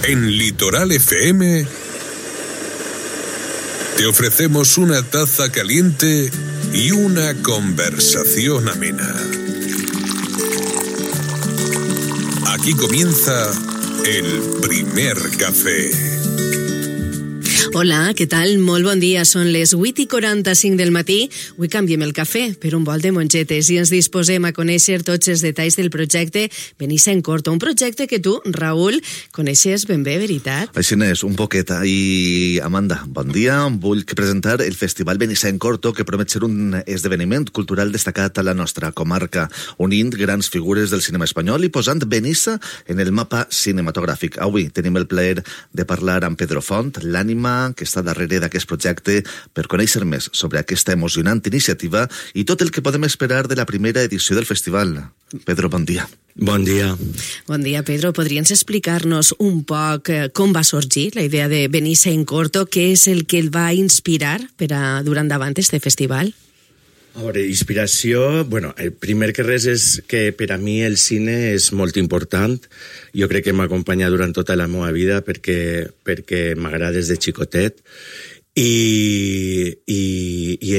En Litoral FM te ofrecemos una taza caliente y una conversación amena. Aquí comienza el primer café. Hola, què tal? Molt bon dia. Són les 8:45 del matí. Avui canviem el cafè per un bol de mongetes i ens disposem a conèixer tots els detalls del projecte Benissa en Corto, un projecte que tu, Raül, coneixes ben bé, veritat? Així n'és, un poquet. I Amanda, bon dia. Vull presentar el Festival Benissa en Corto, que promet ser un esdeveniment cultural destacat a la nostra comarca, unint grans figures del cinema espanyol i posant Benissa en el mapa cinematogràfic. Avui tenim el plaer de parlar amb Pedro Font, l'ànima que està darrere d'aquest projecte, per conèixer més sobre aquesta emocionant iniciativa i tot el que podem esperar de la primera edició del festival. Pedro, bon dia. Bon dia. Bon dia, Pedro. Podries explicar-nos un poc com va sorgir la idea de Benissa en Corto? Què és el que el va inspirar per a dur endavant este festival? A veure, inspiració... Bueno, el primer que res és que per a mi el cine és molt important. Jo crec que m'acompanya durant tota la meva vida perquè m'agrada des de xicotet. I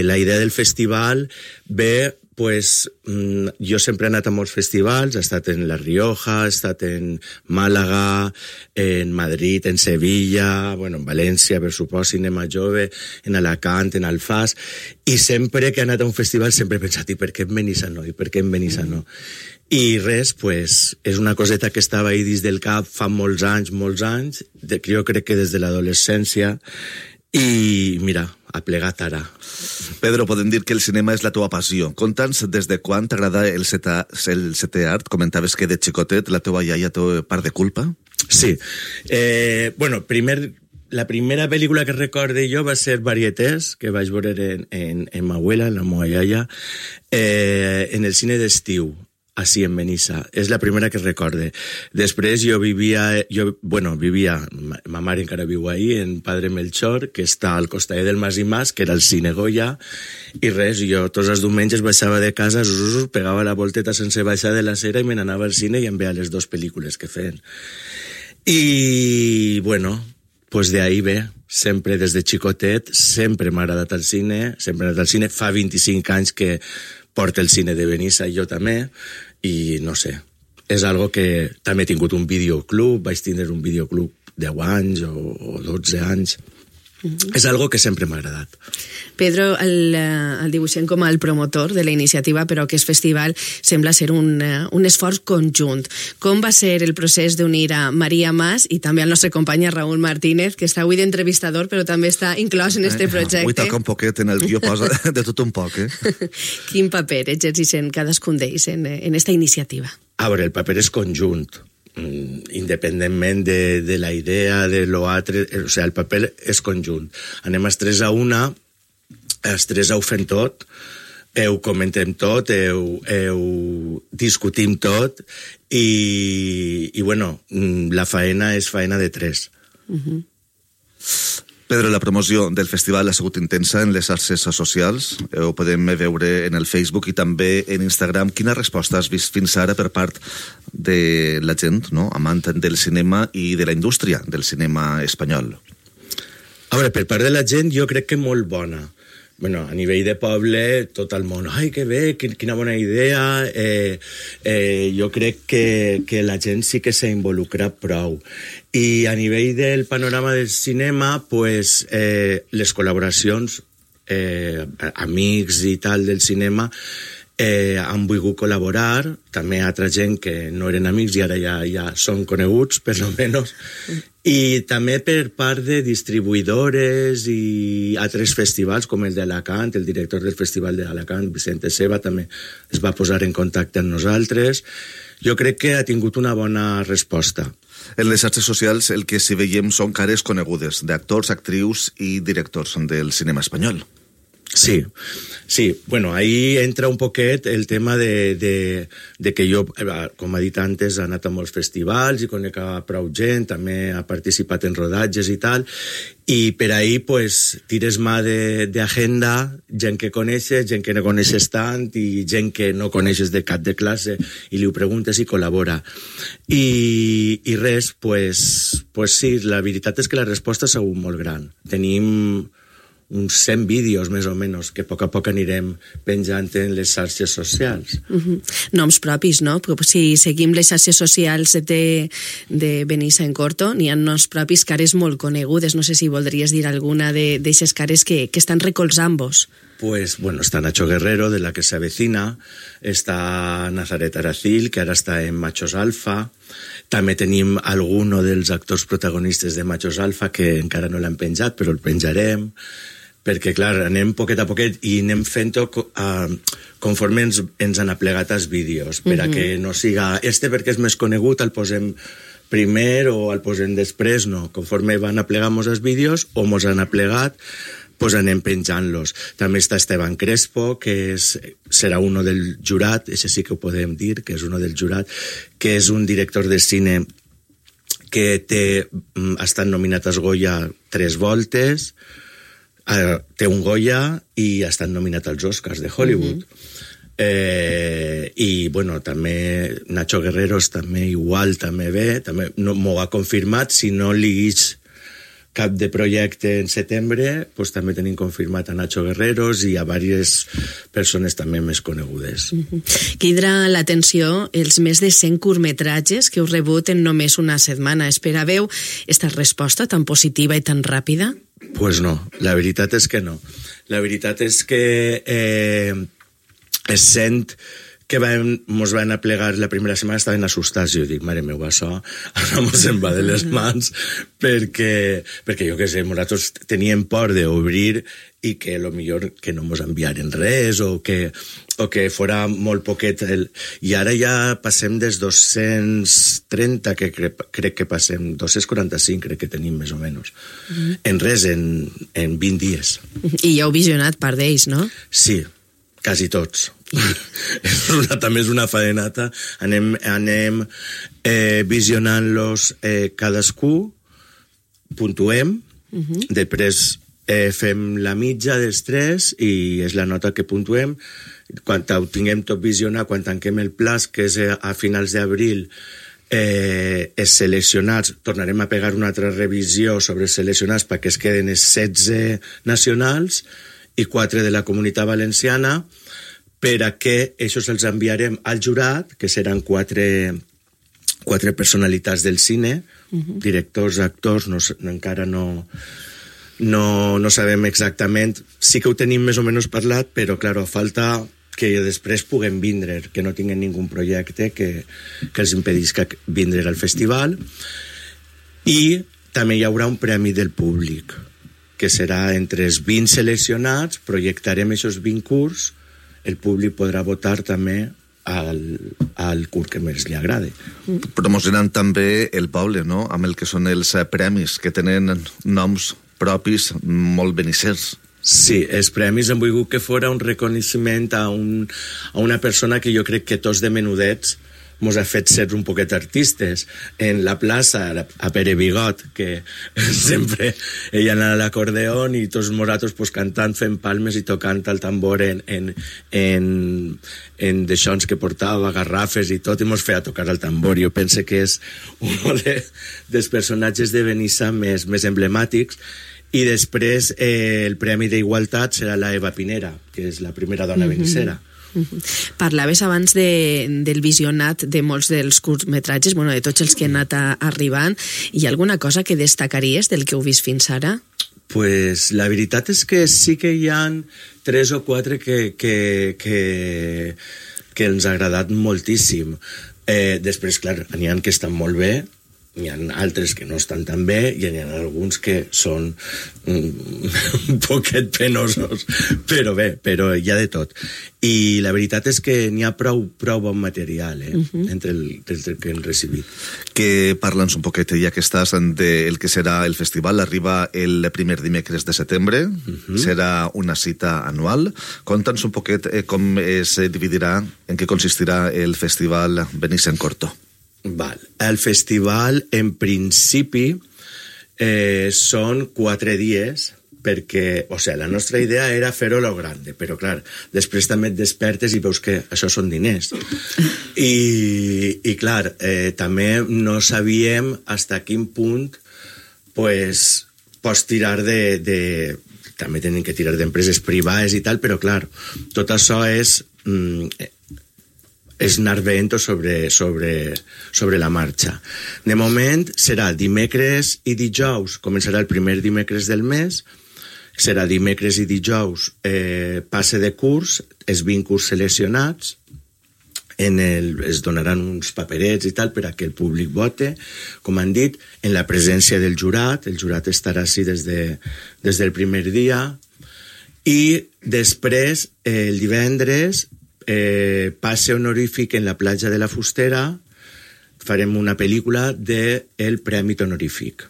la idea del festival ve... Pues jo sempre he anat a molts festivals, he estat en La Rioja, he estat en Màlaga, en Madrid, en Sevilla, bueno, en València, per supost, Cinema Jove, en Alacant, en Alfàs, i sempre que he anat a un festival sempre he pensat, i per què en Benissa no? I per què en Benissa no? I res, pues, és una coseta que estava ahí dins del cap fa molts anys, jo crec que des de l'adolescència, i mira, ha plegat ara. Pedro, podem dir que el cinema és la teva passió. Conta'ns des de quan t'agrada el setè art. Comentaves que de xicotet la teva iaia té part de culpa. Sí. Bueno, la primera pel·lícula que recorde jo va ser Varietés, que vaig veure en ma abuela, en la meva iaia, en el cine d'estiu, així en Benissa. És la primera que recorde. Després jo vivia, ma mare encara viu ahí, en Padre Melchor, que està al costat del Mas i Mas, que era el cine Goya, i res, jo tots els diumenges baixava de casa, pegava la volteta sense baixar de la cera i me n'anava al cine i em veia les dues pel·lícules que feien. I, bueno, pues de ahí ve, sempre des de xicotet, sempre m'ha agradat el cine, fa 25 anys que porta el cine de Benissa i jo també, i no sé, és algo que també he tingut un videoclub, vaig tindre un videoclub 10 anys o 12 anys. És algo que sempre m'ha agradat. Pedro, el dibuixem com el promotor de la iniciativa, però aquest festival sembla ser un esforç conjunt. Com va ser el procés d'unir a Maria Mas i també al nostre company Raül Martínez, que està avui d'entrevistador, però també està inclòs en este projecte? Avui toca un poquet, en el guió posa de tot un poc, Quin paper exerceixen cadascun d'ells en esta iniciativa? A veure, el paper és conjunt. Independentment de la idea de lo altre, o sigui, el paper és conjunt. Anem els tres a una, els tres ho fem tot, ho comentem tot, ho discutim tot, i bueno, la faena és faena de tres. Pedro, la promoció del festival ha sigut intensa en les xarxes socials. Ho podem veure en el Facebook i també en Instagram. Quina resposta has vist fins ara per part de la gent, no?, amant del cinema i de la indústria del cinema espanyol? A veure, per part de la gent jo crec que molt bona. Bueno, a nivell de poble, tot el món, ai, que bé, quina bona idea. Jo crec que la gent sí que s'ha involucrat prou. I a nivell del panorama del cinema, pues, les col·laboracions, amics i tal del cinema, han volgut col·laborar, també altra gent que no eren amics i ara ja són coneguts, per lo menos, i també per part de distribuïdores i altres festivals com el d'Alacant, el director del festival d'Alacant, Vicente Seva, també es va posar en contacte amb nosaltres. Jo crec que ha tingut una bona resposta. En les xarxes socials el que sí veiem són cares conegudes d'actors, actrius i directors del cinema espanyol. Sí, bueno, ahí entra un poquet el tema de que jo, com ha dit antes, he anat a molts festivals i conec a prou gent, també ha participat en rodatges i tal, i per ahí pues tires mà d'agenda, gent que coneixes, gent que no coneixes tant i gent que no coneixes de cap de classe i li ho preguntes i col·labora. I res, pues Pues sí, la veritat és que la resposta ha sigut molt gran. Tenim uns 100 vídeos, més o menys, que a poc anirem penjant en les xarxes socials. Noms propis, no? Però si seguim les xarxes socials de Benissa en Corto, n'hi ha noms propis, cares molt conegudes. No sé si voldries dir alguna d'aixes cares que estan recolzant-vos. Pues, bueno, está Nacho Guerrero, de La que se avecina, está Nazaret Aracil, que ara està en Machos Alfa, també tenim alguno dels actors protagonistes de Machos Alfa, que encara no l'han penjat, però el penjarem, perquè, clar, anem poquet a poquet i anem fent-ho conforme ens han aplegat els vídeos, per a que no siga perquè és més conegut, el posem primer o el posem després, no. Conforme van aplegar-nos els vídeos o mos han aplegat, pues anem penjant-los. També està Esteban Crespo, que serà uno del jurat, això sí que ho podem dir, que és uno del jurat, que és un director de cine que ha estat nominat als Goya 3 voltes, té un Goya i ha estat nominat als Oscars de Hollywood. I bueno, també Nacho Guerreros també igual, també ve, també no m'ho ha confirmat, si no li és cap de projecte en setembre, pues també tenim confirmat a Nacho Guerreros i a diverses persones també més conegudes. Crida l'atenció els més de 100 curtmetratges que heu rebut en només una setmana. Esperàveu esta resposta tan positiva i tan ràpida? Pues no, la veritat és que no. La veritat és que es sent que mos van aplegar la primera setmana, estaven assustats. Jo dic, mare meva, això ara mos en va de les mans, perquè jo què sé, nosaltres teníem por d'obrir i que millor que no mos enviaren res o que fora molt poquet. I ara ja passem des 230, que crec que passem, 245 crec que tenim més o menys. En res, en 20 dies. I ja heu visionat part d'ells, no? Sí, quasi tots. També és una faenata. Anem visionant-los cadascú, puntuem, després fem la mitja dels 3 i és la nota que puntuem. Quan ho tinguem tot visionat, quan tanquem el plaç, que és a finals d'abril, els seleccionats, tornarem a pegar una altra revisió sobre els seleccionats perquè es queden els 16 nacionals i 4 de la Comunitat Valenciana, per a que això els enviarem al jurat, que seran 4 personalitats del cine, directors, actors, encara no sabem exactament. Sí que ho tenim més o menys parlat, però, clar, falta que després puguem vindre, que no tinguin ningú projecte que els impedisca vindre al festival. I també hi haurà un premi del públic, que serà entre els 20 seleccionats, projectarem aquests 20 curts, el públic podrà votar també al curt que més li agrada. Promocionant també el poble, no?, amb el que són els premis, que tenen noms propis molt benissers. Sí, els premis han volgut que fora un reconeixement a una persona que jo crec que tots de menudets mos ha fet ser un poquet artistes. En la plaça, a Pere Bigot, que sempre ella anava a l'acordeon i tots nosaltres pues, cantant, fent palmes i tocant el tambor en deixons que portava, garrafes i tot, i mos feia tocar el tambor. Jo penso que és un dels personatges de Benissa més emblemàtics. I després el Premi d'Igualtat serà la Eva Pinera, que és la primera dona benissera. Parlaves abans del visionat de molts dels curtmetratges, de tots els que han anat arribant. Hi ha alguna cosa que destacaries del que heu vist fins ara? Pues la veritat és que sí que hi ha 3 o 4 que ens ha agradat moltíssim. Després, clar, n'hi ha que estan molt bé, n'hi ha altres que no estan tan bé i n'hi ha alguns que són un poquet penosos, però bé, però hi ha de tot. I la veritat és que n'hi ha prou bon material entre el que hem recibit. Que parla'ns un poquet, ja que estàs del que serà el festival, arriba el primer dimecres de setembre, serà una cita anual. Conta'ns un poquet com es dividirà, en què consistirà el festival Benissa en Corto. Val. El festival, en principi, són 4 dies perquè, o sigui, la nostra idea era fer-ho a lo grande, però clar, després també et despertes i veus que això són diners. I clar, també no sabíem fins a quin punt pues, pots tirar de també tenen que tirar d'empreses privades i tal, però clar, tot això és anar veient sobre la marxa. De moment serà dimecres i dijous, començarà el primer dimecres del mes, serà dimecres i dijous passe de curs, els 20 curs seleccionats, es donaran uns paperets i tal per a que el públic vote, com han dit, en la presència del jurat. El jurat estarà així des del primer dia, i després, el divendres, passe honorífic en la platja de la Fustera, farem una pel·lícula del Premi Honorífic.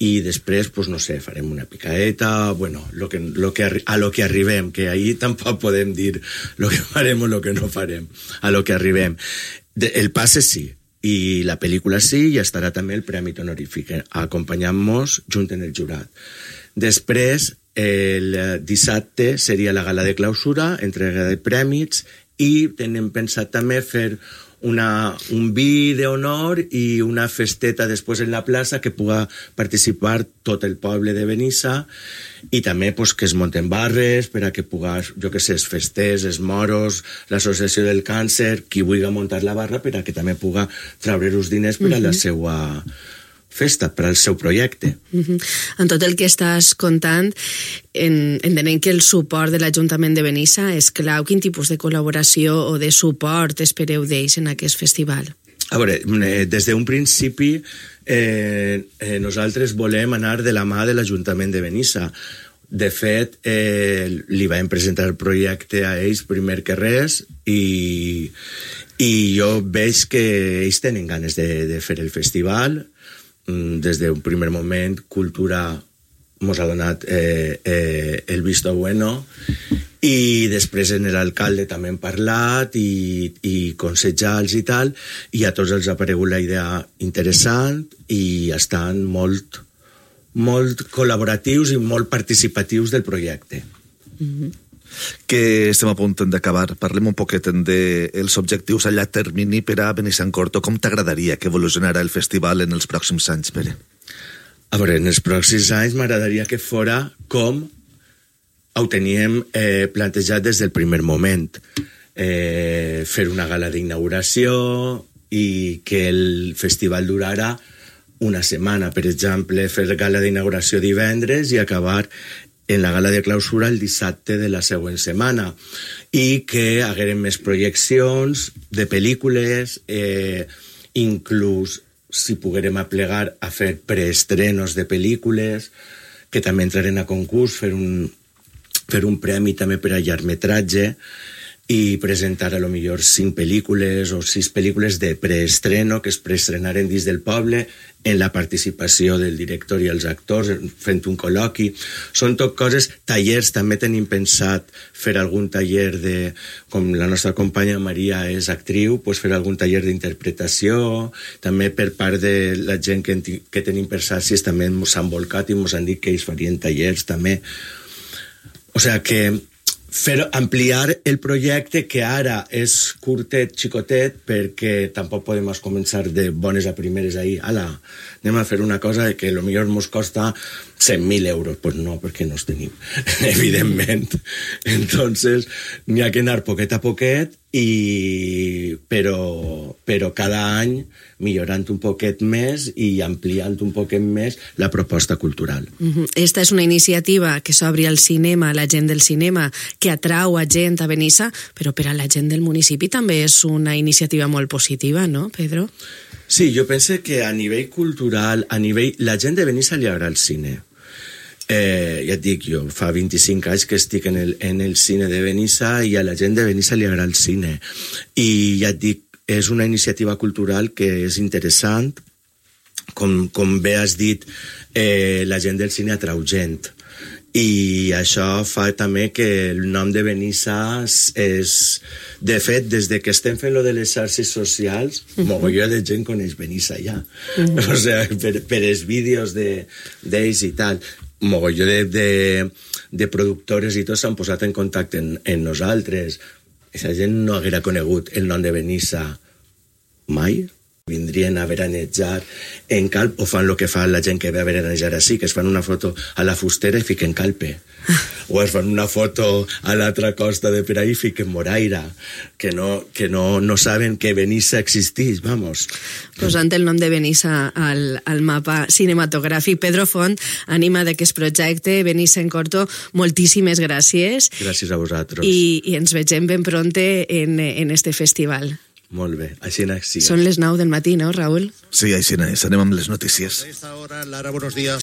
I després, pues, no sé, farem una picaeta, bueno, a lo que arribem, que ahí tampoc podem dir lo que farem o lo que no farem, a lo que arribem. El passe sí, i la pel·lícula sí, i estarà també el Premi Honorífic, acompanyant-nos junt en el jurat. Després, el dissabte seria la gala de clausura, entrega de prèmits, i tenim pensat també fer un vi d'honor i una festeta després en la plaça que puga participar tot el poble de Benissa, i també pues, que es munten barres per a que puga, jo que sé, els festers, els moros, l'associació del càncer, qui vulgui muntar la barra per a que també puga treure els diners per a la seva festa, per al seu projecte. En tot el que estàs contant, entenem que el suport de l'Ajuntament de Benissa és clau. Quin tipus de col·laboració o de suport espereu d'ells en aquest festival? A veure, des d'un principi nosaltres volem anar de la mà de l'Ajuntament de Benissa. De fet, li vam presentar el projecte a ells primer que res, i jo veig que ells tenen ganes de fer el festival. Des d'un primer moment, Cultura mos ha donat el visto bueno, i després en l'alcalde també hem parlat i consejals i tal, i a tots els ha aparegut la idea interessant i estan molt col·laboratius i molt participatius del projecte. Que estem a punt d'acabar. Parlem un poquet dels objectius a llarg termini per a Benissancorto. Com t'agradaria que evolucionarà el festival en els pròxims anys, Pere? A veure, en els pròxims anys m'agradaria que fora com ho teníem plantejat des del primer moment. Fer una gala d'inauguració i que el festival durara una setmana. Per exemple, fer gala d'inauguració divendres i acabar en la gala de clausura el dissabte de la següent setmana, i que hagueren més projeccions de pel·lícules, inclús si poguérem aplegar a fer preestrenos de pel·lícules, que també entraren a concurs, fer un premi també per a llargmetratge, i presentar a lo millor 5 pel·lícules o 6 pel·lícules de preestreno que es preestrenaren dins del poble, en la participació del director i els actors, fent un col·loqui. Són tot coses, tallers, també tenim pensat fer algun taller com la nostra companya Maria és actriu, pues fer algun taller d'interpretació, també per part de la gent que tenim per Sàcies també s'han volcat i ens han dit que ells farien tallers també. O sigui que ampliar el projecte, que ara és curtet, xicotet, perquè tampoc podem començar de bones a primeres ahir. Anem a fer una cosa que potser ens costa 100.000 euros. Pues no, perquè no els tenim, evidentment. Entonces, n'hi ha que anar poquet a poquet, però cada any millorant un poquet més i ampliant un poquet més la proposta cultural. Esta és una iniciativa que s'obri al cinema, a la gent del cinema, que atrau a gent a Benissa, però per a la gent del municipi també és una iniciativa molt positiva, no, Pedro? Sí, jo penso que a nivell cultural, la gent de Benissa li agrada el cine. Ja et dic, jo fa 25 anys que estic en el cine de Benissa i a la gent de Benissa li agrada el cine. I ja et dic, és una iniciativa cultural que és interessant. Com bé has dit, la gent del cine atrau gent. I això fa també que el nom de Benissa és... De fet, des que estem fent lo de les xarxes socials, mogolló de gent coneix Benissa ja. O sigui, per els vídeos d'ells i tal. mogolló de productores i tots s'han posat en contacte en nosaltres. Aquesta gent no haguera conegut el nom de Benissa mai. Vindrien a veranejar en Calp o fan el que fa la gent que ve a veranejar així, que es fan una foto a la Fustera i fiquen Calpe. O es fan una foto a l'altra costa de per ahí i fiquen Moraira, que no saben que Benissa existeix, vamos. Posant el nom de Benissa al mapa cinematogràfic. Pedro Font, ànima d'aquest projecte, Benissa en Corto, moltíssimes gràcies. Gràcies a vosaltres. I ens vegem ben pronte en este festival. Molt bé, així n'hi siga. Són les 9 del matí, no, Raül? Sí, així n'hi. Anem amb les notícies. A esta hora, Lara, buenos días.